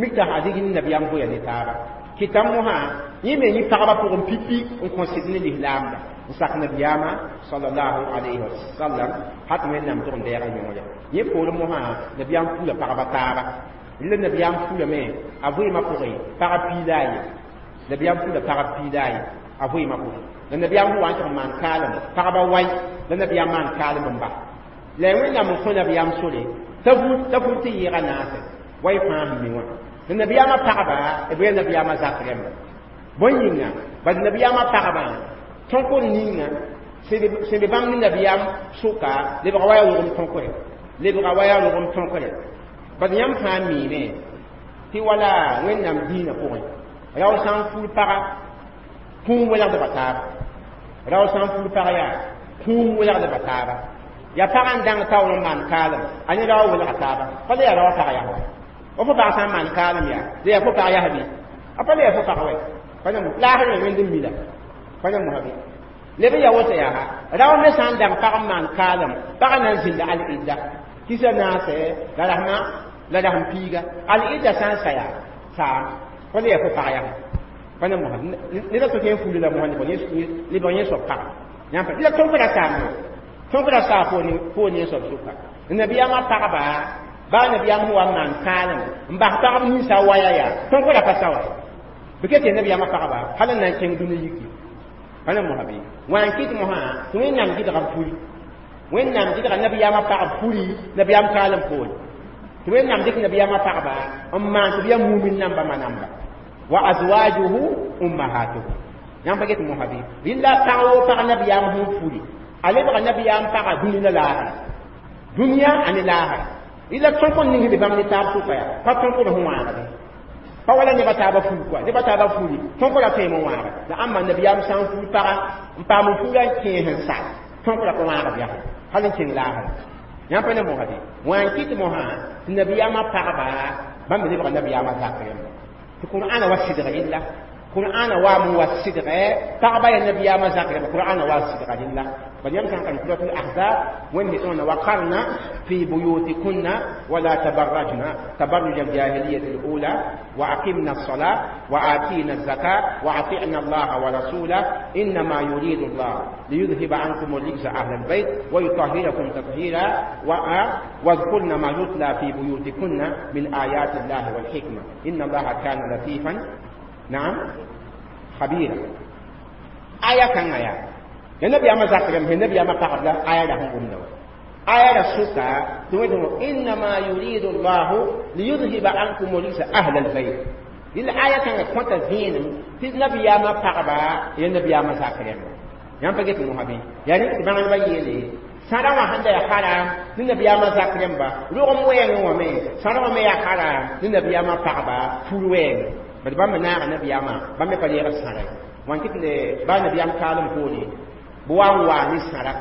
mik t'a Khadija ne nabiyaam vʋya ne taaba kɩtame mosã yẽ me yẽ pagba pʋgẽ pipi n kõ sɩd ne lislaamda n sak nabiyaamã sallallahu alayhi wasallam hat Wẽnnaam tʋg n deega yõore yẽ poorẽ mosã nabiyaam fuula pagba taaba la nabiyaam fuulame a vɩɩmã pʋgẽ pagb piila a ye nabiyaam fuula pagb piila a ye a vɩɩmã pʋgẽ la nabiyaam sẽn wa n tɩg n maan kaalem pagba wai la nabiyaam maan kaalem n ba la Wẽnnaam n kõ nabiyaam sore t'a vul tɩ yɩɩga naase wa y fãa sẽn mi wã la nabiyaamã pagba b yaa nabiyaamã zak rẽmba bõe yĩnga bad nabiyaamã pagba tõkr ninga sẽn be bãmb ne nabiyaam sʋka lebga wa yaa rogem tõkre lebga wa yaa rogem tõkre bad yãmb fãa miime tɩ wala Wẽnnaam dĩinã pʋgẽ rao sã n ful paga kũum welgdba taaba rao sã n ful pag yaa kũum welgdba taaba yaa pagã n dãng taoor n maan kaalem a ne rao welga taaba pa la yaa rao pag yaa wa fo pag sã n maan kaalem yaa la yaa fo pag yaa bɩ a pa la yaa fo pag wɛ pa Pa na laasr me wẽnd n mila. Pa na mosã bɩ leb n ya woto yaa rao me sã n dãng pag n maan kaalem, pagã na n zĩnda al-idda kisa naase la rasmã la rasm piiga. Al-idda sã n sa yaa saam pa le ya fo pag yaa pa na mosã neda to kẽ n fuli la mosã lebg yẽ soab paga yãmb la tõnk ra saam tõnk ra saa poor ne soab sʋka. Nabiyaamã pagba baa nabiyaam sẽn wa n maan kaalem n bas pagb ninsã waya yaa tõnk ra pa sa wa bɩ ket tɩ nabiyaamã pagba hal n na n kẽng dũni yiki. Pa na mosã bɩ wã n kɩt mosã tɩ Wẽnnaam gɩdga b furi, Wẽnnaam gɩdga nabiyaamã pagb furi nabiyaam kaalem poore, tɩ Wẽnnaam dɩk nabiyaamã pagba n maan tɩ b yaa mumin namba ma namba wa azwajuhu ummahatuhum. Yãmb pa get mosã bɩ rɩla pag woo pag nabiyaam sẽn furi a lebga nabiyaam paga dũni la laasra, dũniyã ane laasra. Rɩla tõk n ning be bãmb ne taab sʋka yaa pa tõkd sẽn wãagde pa wala neba taaba furi kɔa neba taaba furi tõk ra tõeme n wãaga la ãmba nabiyaam sã n fur paga n paam n furã n kẽes n sa tõk ra pa wãagd yaa hal n kẽng laasra. Yãmb pa ne mosã bɩ wã n kɩt mosã tɩ nabiyaamã pagba bãmb me lebga nabiyaamã zak rẽmba tɩ Qur'ana wa sɩdg rɩlla. Qur'ana wa mu wa sɩdgɛ pagba ya nabiyaamã zak rẽmba. Qur'ana wa sɩdga rɩlla bal yãmb sã n karem Suratul Ahzab, Wẽnd tõna waqarna fi buyutikunna wala tabarrajna tabarruj aljahiliyat alula wa aqimna الصلاة وآتينا الزكاة وأطعنا الله ورسوله إنما يريد الله ليذهب عنكم الرجس أهل البيت ويطهركم تطهيرا واذكرن ما يتلى في بيوتكن من آيات الله والحكمة إن الله كان لطيفا نعم خبيرا. آية كان آية النبي أما ذكر النبي أما قبل آية لهم قلنا آية السكة إنما يريد الله ليذهب عنكم الرجس أهل البيت. الآية كان كنت زين في النبي أما قبل النبي أما ذكر yãmb pa get mosã bɩ yaa rẽ tɩ bãng ba yeele sãda wã sẽn da yaa haram ne nabiyaamã zak rẽmba rogem wɛɛngẽ wã me sãda wã me yaa haram ne nabiyaamã pagba fur wɛɛngẽ bad bãmb me naaga nabiyaamã bãmb me pa reegd sãra wã n kɩt ne baa nabiyaam kaalem poore bɩ wa n waa ne sãra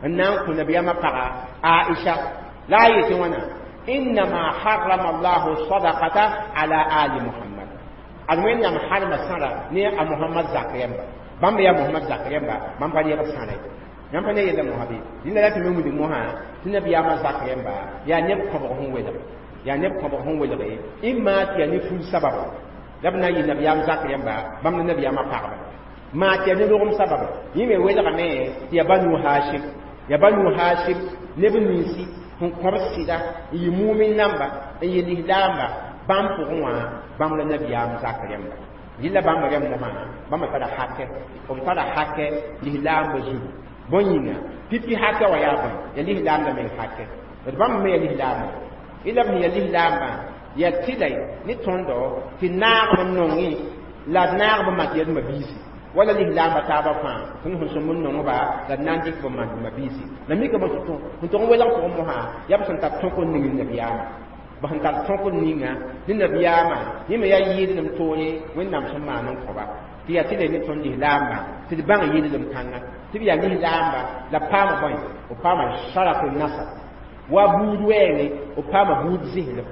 n na n kõ nabiyaamã paga Aisha la a yetɩ wãna innama harrama Allahu sadaqata ala ali Muhammad ad Wẽnnaam harma sãra ne a Muhammad zak rẽmba bãmb yaa Mohamad zak rẽmba bãmb pa reegd sãra yãmb pa ne yella mosã bɩ dĩnda la tɩ me wilg mosã tɩ nabiyaamã zak rẽmba yaa neb kõbg sẽn welg yaa neb kõbg sẽn welge ɩma tɩ yaa ne ful sababa la b na n yɩ nabiyaam zak rẽmba bãmb ne nabiyaamã pagba maa tɩ yaa ne rogem sababa yẽ me welgame tɩ yaa Banu Hashim, yaa Banu Hashim neb ninsi sẽn kõb sɩda n yɩ mumin namba n yɩ lislaamba bãmb pʋgẽ wã bãmb la nabiyaam zak rẽmba yɩla bãmb rẽmb mosã bãmb tara hakɛ b tara hakɛ lislaambã zugu bõn yĩnga pipi hakɛ wã yaa bõe ya lislaam la meng hakɛ d bãmb me ya lislaambã yɩla b sẽn ya lislaambã ya tɩla ne tõndo tɩ naagb n nongẽ la d naagb n mak yaa d mabiisi wala lislaambã taabã fãa tõnd sẽn sõm n nongba la d na n dɩk b maan d mabiisi la mika sẽn tʋg n welg pʋgẽ mosã yaa b sẽn tar tõk n ning nabiyaamã b sẽn tar tõk n ninga ne nabiyaamã yẽ me yaa yɩɩdlem toore Wẽnnaam sẽn maan n kõba tɩ yaa tɩ la ne tõnd lislaambã tɩ d bãng yɩɩdlem kãnga tɩ b yaa lislaamba la paama bõe b paama sharaf nasab wa buud wɛɛngẽ b paama buud zĩslem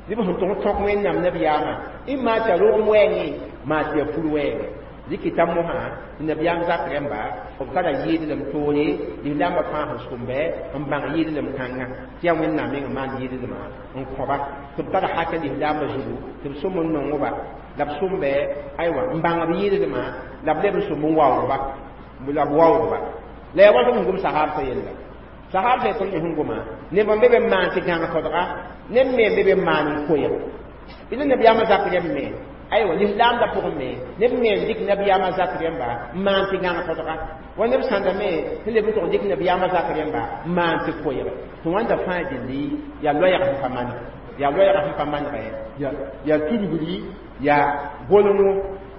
tɩ b sẽn tʋg n tõk Wẽnnaam nabiyaamã ɩ maa tɩ a rogem wɛɛngẽ maa tɩ yaa fur wɛɛngẽ dɩkɩta mosã tɩ nabiyaam zak rẽmba b tara yɩɩdlem toore lislaambã fãa sẽn sʋmbɛ n bãng yɩɩdlem kãnga tɩ yaa Wẽnnaam meng n maan yɩɩdlmã n kõba tɩ b tara hakɛ lislaambã zugu tɩ b sõm n nongba la b sõmbɛ aywa n bãng b yɩɩdlmã la b leb n sõm n waoogba la b waoogba la yaa wa sẽn gom sahaabsã yella sahaabsã tõnd me sẽn goma neb n be be n maan tɩ gãng todga neb me n be be n maan n koɛɛg ila nabiyaamã zak rẽmb me aywa lislaamda pʋgẽ me neb me n dɩk nabiyaamã zak rẽmba n maan tɩ gãng todga wa neb sãnda me sẽn leb n tʋg dɩk nabiyaamã zak rẽmba n maan tɩ koɛɛg tɩ wãnda fãa dɩlli yaa loɛɛg sẽn pa maneg yaa loɛɛg sẽn pa manegɛ yaa tudgri yaa golngo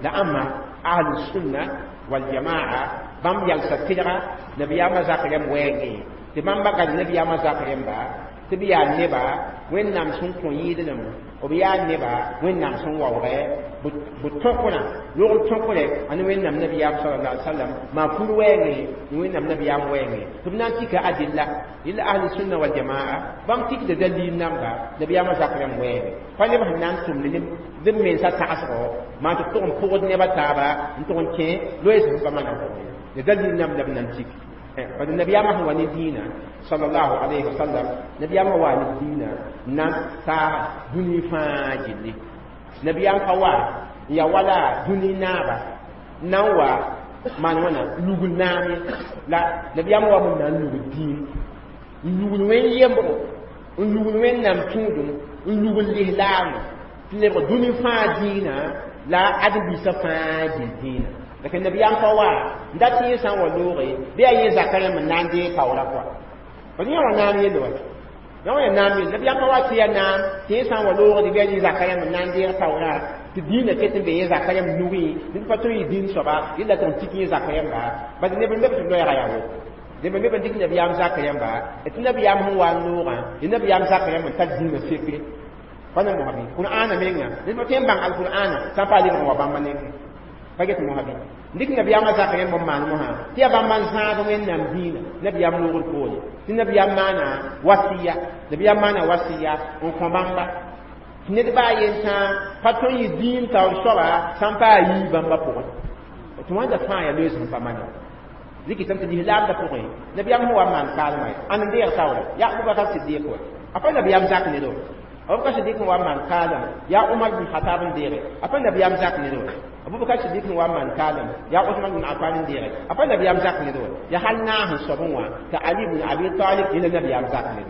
la ãmba ahlusunna waljamaa bãmb yalsa tɩlga nabiyaamã zak rẽmb wɛɛngẽ tɩ bãmba gad nabiyaamã zak rẽmba Tɩ b yaa neba Wẽnnaam sẽn kõ yɩɩdlem, b yaa neba Wẽnnaam sẽn waoogɛ b tõkrã logr tõkre ane Wẽnnaam nabiyaam sallallahu alaihi wasallam maa kur wɛɛngẽ ne Wẽnnaam nabiyaam wɛɛngẽ tɩ b na n tika adilla yella ahli sunna wal jamaa bãmb tikda dalil namba nabiyaamã zak rãmb wɛɛngẽ pa neb sẽn na n tʋmd ne b mensã tagsgo maa tɩ b tʋg n pʋgd neba taaba n tʋg n kẽ loees sẽn pa maneg ne dalil namba la b na n tik. Bad nabiyaamã sẽn wa ne dĩinã sallallahu alaihi wasallam, nabiyaamã waa ne dĩinã na n taag dũni fãa gilli. Nabiyaam pa wa n ya wala dũni naaba n na n wa maan wãna lugl naam ye la nabiyaamã wa n na n lugl dĩin, n lugl wẽn yembgo, n lugl Wẽnnaam tũudum, n lugl lislaamã tɩ lebg dũni fãa dĩinã la ãdem-biisã fãa gil dĩinã. La nabiyaam pa wa n dat tɩ yẽ sã n wa looge bɩ a yẽ zakã rãmb n na n deeg kaoora pʋga. Bad yẽ wã naam yelle wa yã wã ya naam yelle. Nabiyaam pa wa tɩ ya naam tɩ yẽ sã n wa loogd bɩ a yẽ zakã rãmb n na n deeg taoorã tɩ dĩinã ket n be yẽ zakã rãmb nugẽ ned pa tõe yɩ dĩin soaba yella tɩ n tik yẽ zakã rãmba. Bad neb n leb tɩ loɛɛga yaa woto neb n leb n dɩk nabiyaam zakã rãmba tɩ nabiyaam sẽn wa n loogã yẽ nabiyaam zakã rãmb n tar dĩinã sekre pa na mosã bɩ Qur'aana menga ned pa tõe n bãng alqur'aana sã n pa lebg n wa bãmba nengẽ pa get mosã bɩ dɩk nabiyaamã zakã rãmb n maan mosã tɩ yaa bãmba n zãag Wẽnnaam dĩinã nabiyaam loogr poore tɩ nabiyaam maana wasiya, nabiyaam maana wasiya n kõ bãmba tɩ ned baa yen tãa pa tõe n yɩ dĩin taoor soaba sã n pa a yii bãmba pʋgẽ tɩ wãnda fãa yaa loees sẽn pa maneg zikɩtame tɩ lislaamdã pʋgẽ nabiyaam sẽn wa n maan kaalmã ãn n deeg taoora yaa Abubakar Sidiq wa a pa nabiyaam zak ned wa. Abubakar Sidiq n wa n maan kaalem yaa Umar bin Khatab n deege a pa nabiyaam zak ned wa. Abubakar Sidiq n wa n maan kaalem yaa Usman bin Affan n deege a pa nabiyaam zak ned wa. Yaa hal naas n soab n wã tɩ Ali bin Abi Talib yẽla nabiyaam zak ned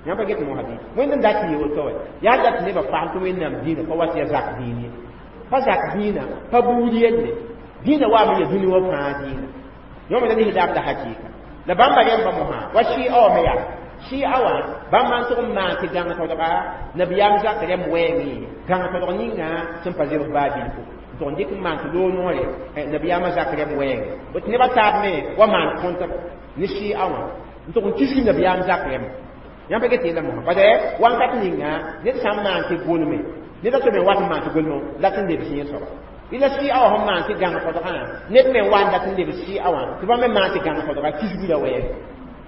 yãmb pa get mosã bɩ Wẽnd n dat yɩ woto wa yaa dat nebã fagl tɩ Wẽnnaam dĩinã pa wat ya zak dĩin ye pa zak dĩinã pa buud yelle dĩinã waame ya dũni wã fãa dĩinã yõ me la lislaamda hakɩɩka la bãmba rẽmba mosã wa sɩɩ wã me yaa sɩɩ wã bãmb n tʋg n maan tɩ gãng todga nabiyaam zak rãmb wɛɛngẽ gãng todg ninga sẽn pa zebs baa bilfu n tʋg n dɩk n maan tɩ loog noore nabiyaamã zak rãmb wɛɛngẽ bõe tɩ nebã taab me wa maan kõntb ne sɩɩ wã n tʋg n kisg nabiyaam zak rãmb yãmb pa get yella mosã bad wãnkat ninga ned sã n maan tɩ gʋlme ned a tɩ me wat n maan tɩ gʋlme la tɩ n lebs yẽ soaba ila sɩ a wã sẽn maan tɩ gãng todgã ned me wa n dat n lebs sɩ a wã tɩ bãmb me maan tɩ gãng todga kisgã wɛɛg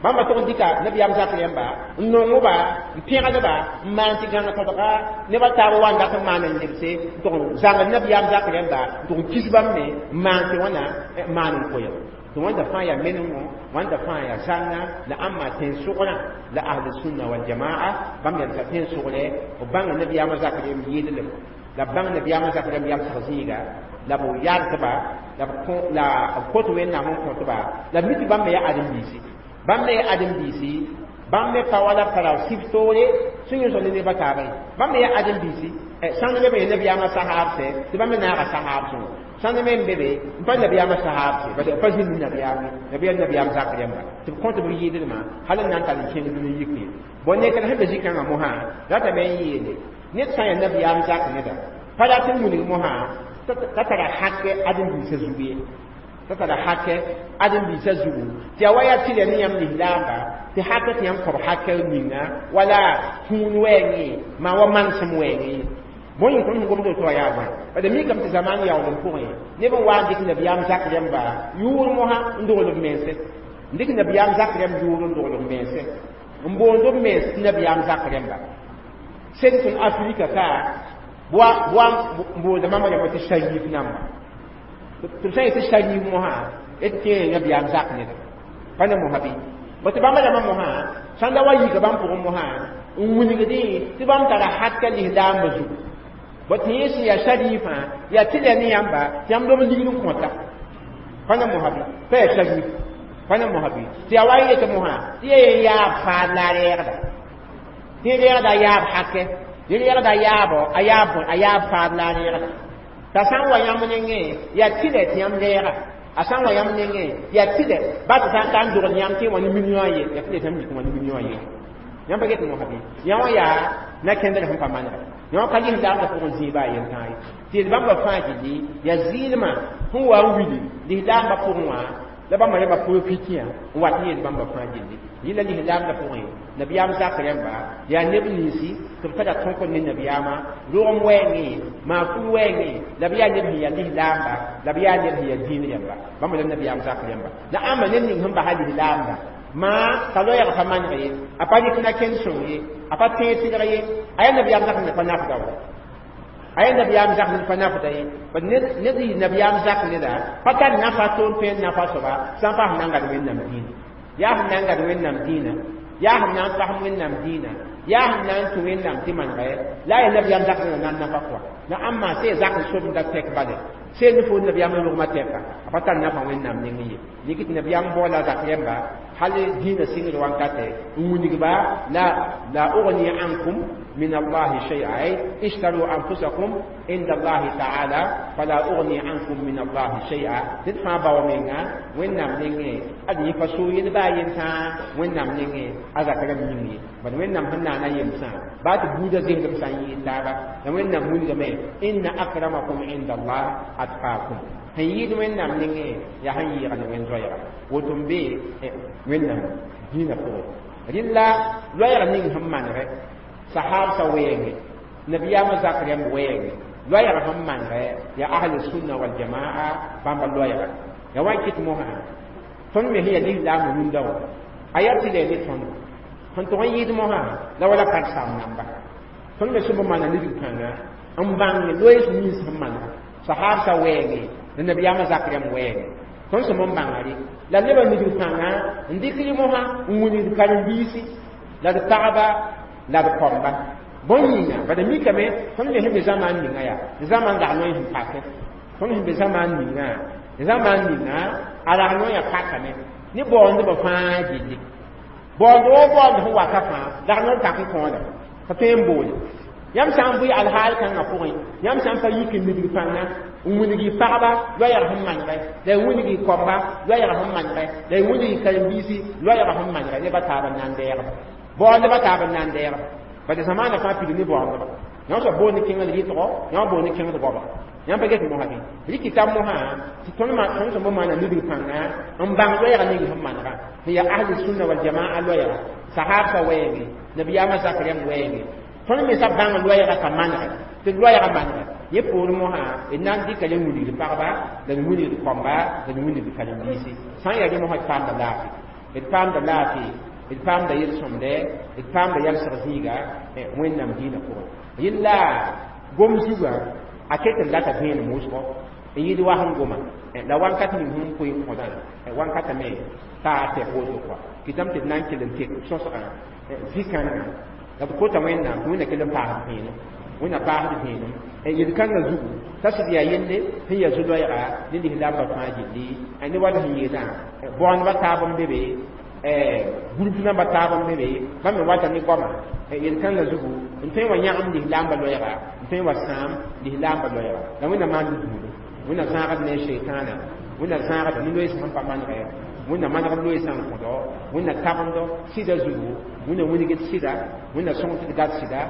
bãmba tʋg n dɩka nabiyaam zak rãmba n nongba n pẽgdba n maan tɩ gãng todga nebã taab wa n dat n maan n lebse n tʋg n zãngd nabiyaam zak rãmba n tʋg n kis bãmb me n maan tɩ wãna maan n koɛɛg tɩ wãnda fãa yaa menengo wãnda fãa yaa zãnga la ãmba tẽn-sõgrã la ahli sunna wal jamaa bãmb yaa tẽn-sõgrɛ b bãnga nabiyaamã zak rãmb yɩɩdlem la b bãng nabiyaamã zak rãmb yamsg zĩiga la b yardba la b kot Wẽnnaam n kõtba la b mi tɩ bãmb me yaa ãdem-biisi bãmb me yaa ãdem-biisi bãmb me pa wala pa ra sif toore sẽn yõsg ne nebã taaba ye bãmb me yaa ãdem-biisi sãnd me be nabiyaamã sahaabsɛ tɩ bãmb me naaga sahaab sõngo sãnd me n be be n pa nabiyaamã sahaabse bas pa zĩnd nabiyaam nabiyaam nabiyaam zak rãmba tɩ b kõt b yɩɩdlmã hal n na n tar n kẽng dũni yik ye bõn ne tɩ sẽn be zĩ-kãngã mosã ratame n yeele ned sã n yaa nabiyaam zak neda pa rat n wilg mosã t'a tara hakɛ ãdem-biisã zugu ye t'a tara hakɛ ãdem-biisã zugu tɩ yaa wa yaa tɩlɛ ne yãmb lislaamba tɩ hakɛ tɩ yãmb kõb hakɛ ninga wala kũun wɛɛngẽ maa wa manesem wɛɛngẽ bõe yĩng tõnd sẽn gomd woto wã yaa bõe bad mikame tɩ zamaan yaool n pʋgẽ neb n wa n dɩk nabiyaam zak rãmba yʋʋr mosã n dogl b mense n dɩk nabiyaam zak rãmb yʋʋr n dogl b mense n boond b mens tɩ nabiyaam zak rãmba sẽn tõnd Afrika ka bʋa n boonda mama rãmba tɩ sharif namba tɩ b sã n yetɩ sharif mosã d tẽe nabiyaam zak neda pa ne mosã bɩ bõ tɩ bãmba rãmbã mosã sãn da wa yika bãmb pʋgẽ mosã n wilgdẽ tɩ bãmb tara hakka lislaambã zugu bõ tɩ yẽ sẽn yaa sharifã yaa tɩ la ne yãmba tɩ yãmb lob ligd n kõta pa ne mosã bɩ pa yaa sharif pa ne mosã bɩ tɩ yaa wa n yet mosã tɩ yaa yen yaab faad la a reegda tɩ reegda a yaab hakɛ tɩ reegda a yaabɔ a yaab a yaab faad la a reegda t'a sã n wa yãmb nengẽ yaa tɩlɛ tɩ yãmb reega a sã n wa yãmb nengẽ yaa tɩlɛ ba tɩ sã n ka n dogl yãmb tɩ wã ne million ye yaa tɩlɛ tɩ yãmb yik wã ne million ye yãmb pa get mosã bɩ yã wã yaa na kẽndr sẽn pa manega yã ka lislaamdã pʋgẽ zĩig baa yen tãa ye tɩ yel bãmba fãa gilli yaa zɩɩlmã sẽn wa n wili lislaambã pʋgẽ wã La bãmba rẽmba pʋʋr fitiyã n wat n yeel bãmba fãa gilli yɩla lislaamdã pʋgẽ nabiyaam zak rẽmba yaa neb ninsi tɩ b tara tõk ne nabiyaamã rogem wɛɛngẽ maa-kul wɛɛngẽ la b yaa neb sẽn yaa lislaamba la b yaa neb sẽn yaa dĩin rẽmba bãmba la nabiyaam zak rẽmba la ãmba ned ning sẽn basa lislaamdã maa t'a loɛɛg pa maneg ye a pa rɩk na kẽnd sõng ye a pa tẽeg tɩlg ye a yaa nabiyaam zak ne pa nafda wa a yaa nabiyaam zak ne pa nafda ye ned yɩ nabiyaam zak neda pa tar nafa toon tõe n nafa soaba sã n paas n na n gad wẽnnaam dĩinã yaa sẽn na n gad wẽnnaam dĩinã yaa sẽn na n pasem wẽnnaam dĩinã yaa sẽn na n tũ wẽnnaam tɩ manegɛ la a yaa nabiyaam zak neda na n nafa kɔa la ãmba sẽn zak n sobda tɛk bale sẽn ne fo nabiyaam n rogmã tɛka a pa tar nafa wẽnnaam neng ye dɩk tɩ nabiyaam baoola zak rẽmba hal dĩinã sɩngd wankatɛ n wilgba la ugni ankum من الله شيئا أي اشتروا أنفسكم عند الله تعالى فلا أغني عنكم من الله شيئا تدفع باومينا وين نام نيني أدي فسو يلبا ينسا وين نام نيني أذا كلام نيني بل وين نام هنا أنا ينسا بعد بودا زين دم يتابا وين نام وين إن أكرمكم عند الله أتقاكم sẽn yɩɩd wẽnnaam nengẽ yaa sẽn yɩɩgd wẽn zoɛɛga woto n be wẽnnaam dĩinã pʋgẽ rɩla loɛɛg ning sẽn manegɛ sahabsa wɛɛngẽ nabiyaamã zak rẽmb wɛɛngẽ loɛɛg sẽn manegɛ yaa ahli sunna waljamaa bãmba loɛɛga ya wa n kɩt mosã tõnd me sẽn yaa lislaam rũndã wã a yaa tɩ la ne tõnd sẽn tʋg n yɩɩd mosã la wala karen-saam namba tõnd me sẽn b maana nidg kãnga n bãng loees nins sẽn manega sahabsa wɛɛngẽ la nabiyaamã zak rẽmb wɛɛngẽ tõnd sẽn n bãnga rɩ la nebã nidg kãnga n dɩk rɩ mosã n wilgd karen-biisi la d pagba la d kõmba bõn yĩnga bala mikame tõnd me sẽn be zamaan ninga yaa zamaan dag noe sẽn pakẽ tõnd sẽn be zamaan ninga zamaan ninga a rag noyã pakame ne baoondbã fãa gilli baoond woo baoond sẽn wata fãa dag noor pak n kõoda pa tõe n boole yãmb sã n bʋɩ alhaal kãngã pʋgẽ yãmb sã n pa yik n nidg pãnga n wilg y pagba loɛɛg sẽn manegɛ la y wilg y kõmba loɛɛg sẽn manegɛ la y wilg y karen-biisi loɛɛg sẽn manegɛ nebã taab n na n deegba baoondbã taab n na n deegba bala zamaana fãa pid ne baoondba yã soab boond kẽngd rɩtgo yã boond kẽngd goaba yãmb pa get mosã bɩ rɩkɩta mosã tɩ tõnd sẽn maana nidg pãnga n bãng loɛɛga ning sẽn manega sẽn yaa ahli sunna waljamaa loɛɛga sahabsã wɛɛngẽ nabiyaamã zak rẽmb wɛɛngẽ tõnd me sa bãng loɛɛga ka manegɛ tɩ loɛɛga manegɛ yẽ poor mosã d na n dɩka le wilgd pagba la d wilgd kõmba la d wilgd karen-biisi sã n yaa rẽ mosã d paamda laafɩ d paamda laafɩ d paamda yel-sõmdɛ d paamda yalsg zĩiga wẽnnaam dĩinã pʋgẽ yella gom zugã a ket n lata vẽenem wʋsgo n yɩɩd wa sẽn goma la wankat ning sẽn koe n kõdã wankatame t'a tɛk woto kɔa kɩtame tɩ d na n kell n tek sõsgã zĩ-kãngã la b kota wẽnnaam tɩ wẽnna kell n paasd vẽenem wẽnna paasd vẽenem yel-kãngã zugu t'a sɩd yaa yelle sẽn yaa zu-loɛɛga ne lislaambã fãa gilli ne wala sẽn yeelã baoondbã taab n be be group namba taab n be be bãmb me wata ne goama yel-kãngã zugu n tõe n wa yãgem lislaambã loɛɛga n tõe n wa sãam lislaambã loɛɛga la wẽnna maan buudu wẽnna zãagd ne sheitaana wẽnna zãagd ne loees sẽn pa manegɛ wẽnna manegd loeesã n kõdo wẽnna tabendo sɩda zugu wẽnna wilgd sɩda wẽnna sõng tɩ d gad sɩda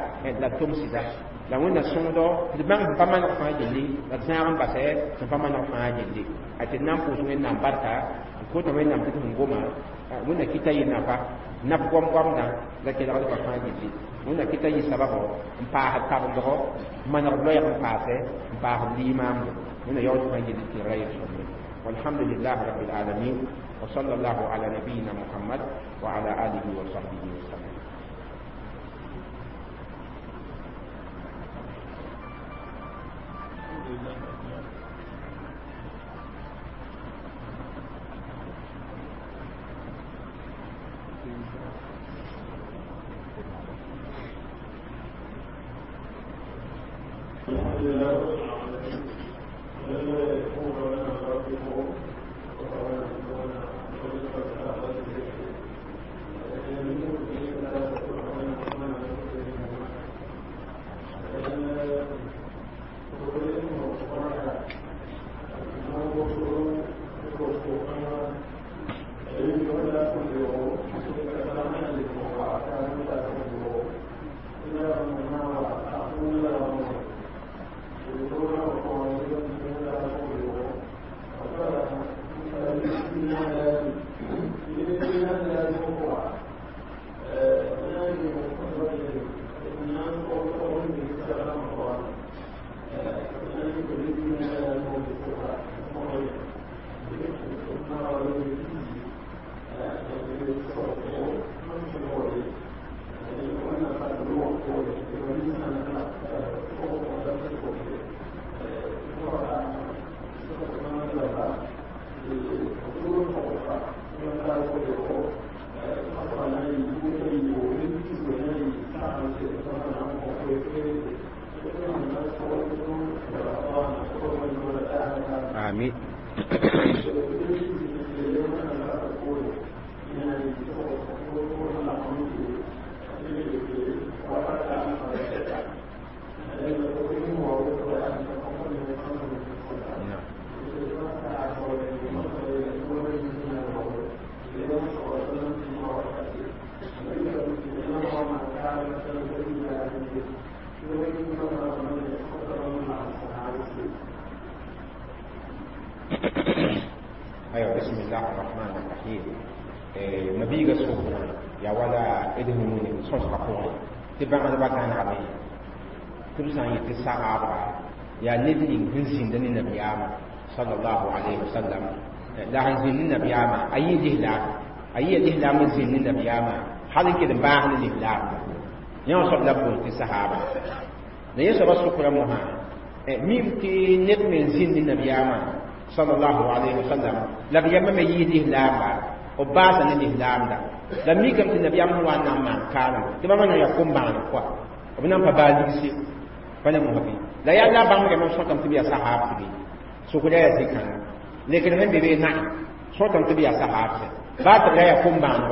la d tʋm sɩda la wẽnna sõngdo tɩ d bãng sẽn pa maneg fãa gilli la d zãag n basɛ sẽn pa maneg fãa gilli a tɩ d na n pʋʋs wẽnnaam barka n kota wẽnnaam tɩ d sẽn goma wẽnna kɩta yɩ nafa naf goam-goamdã la kelgdbã fãa gilli wẽnna kɩta yɩ sababo n paasd tabendgo n manegd loɛɛg n paasɛ n paasd liimaamdo wẽnna yaood fãa gilli tɩ ra yel-sõmde والحمد لله رب العالمين وصلى الله على نبينا محمد وعلى آله وصحبه وسلم. Thank you. Amin. أيوة بسم الله الرحمن الرحيم مبيغا سوكنا يا ولا إدهموني صوص قفوري تبع أنا بقى أنا عبي تبزان يتساعب يا ندني هنزين دني النبي صلى الله عليه وسلم لا هنزين النبي أي جهلا أي جهلا من زين النبي حال كده باهن الإسلام يوم صب لبون تسحابة لا يسبب سكر مها ميم تي نت من زين النبي صلى الله عليه وسلم لم يمم يديه لاما وباسا نيه لاما لم يكن النبي هو أن ما كان تبا من يقوم بان كوا وبنام فبالي فانا مهبي لا يلا بام كما سوتم تبي صحابة تبي سكر يا زكان لكن هم بيبي نعم سوتم تبي صحابة بعد لا يقوم بان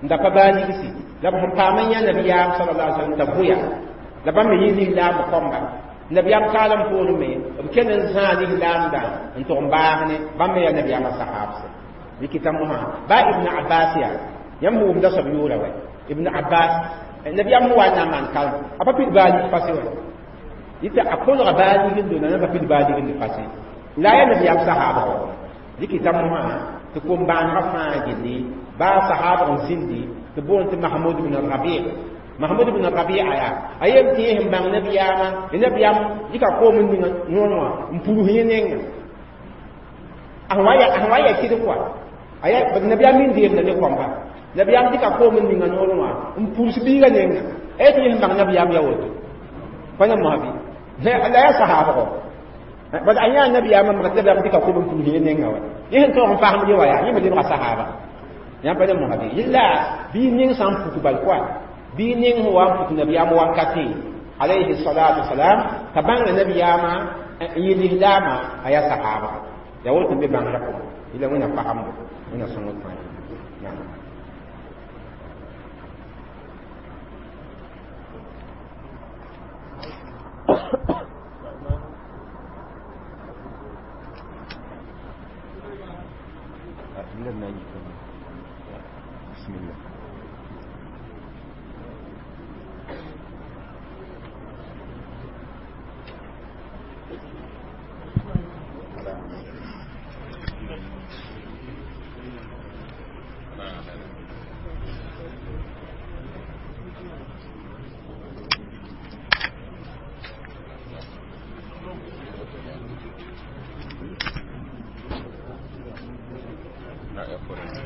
nda pa baa ligsi la b sẽn paam n yã nabiyaam sallallahu alaihi wasallam t'a bʋya la bãmb me yɩ lislaam kõmba nabiyaam kaalem poorẽ me b kell n zãa lislaamdã n tʋg n baas ne bãmb me yaa nabiyaamã sahaabse dɩkɩta mosã baa ibn abbas yaa yãmb wʋmda soab yʋʋra wɛ ibn abbas nabiyaam sẽn wa n na n maan kalem a pa pid baa lig fase wɛ yɩta a kolga baa ligndo la pa pid baa lignd fase la yaa nabiyaam sahaabã wã dɩkɩta mosã tɩ kom-bãanegã fãa gilli baa sahaba n zĩndi tɩ boond tɩ mahmud bn rabi mahmud bn rabia yaa a yem tɩ yẽ sẽn bãng nabiyaamã nabiyaam dɩka koom n ninga noor wã n purus yẽ nenga a sẽn wa ya kɩd kɔa nabiyaam min deemda ne kõmba nabiyaam dɩka koom n ninga noor wã n purs biiga nenga a yetɩ yẽ sẽn bãng nabiyaam ya woto pa ne moasã bɩ la yaa sahaabgo bad a yã nabiyaamã mak tɩ nabiyaam dɩka koom n purus yẽ nenga wa yẽ sẽn tõog n fasem ye wa yaa yẽ me lebga sahaaba yãmb pa ne mosã bɩ yella bɩ ning sã n puk bal koa bɩ ning sẽn wa n puk nabiyaam wankate alayhi salatu wasalam t'a bãnga nabiyaamã n yɩ lislaamã a yaa sahaaba yaa woto n be bãngrã pʋgẽ yella wẽnna fagembo wẽnna sõngd fãa naam. بسم الله. لا يقول.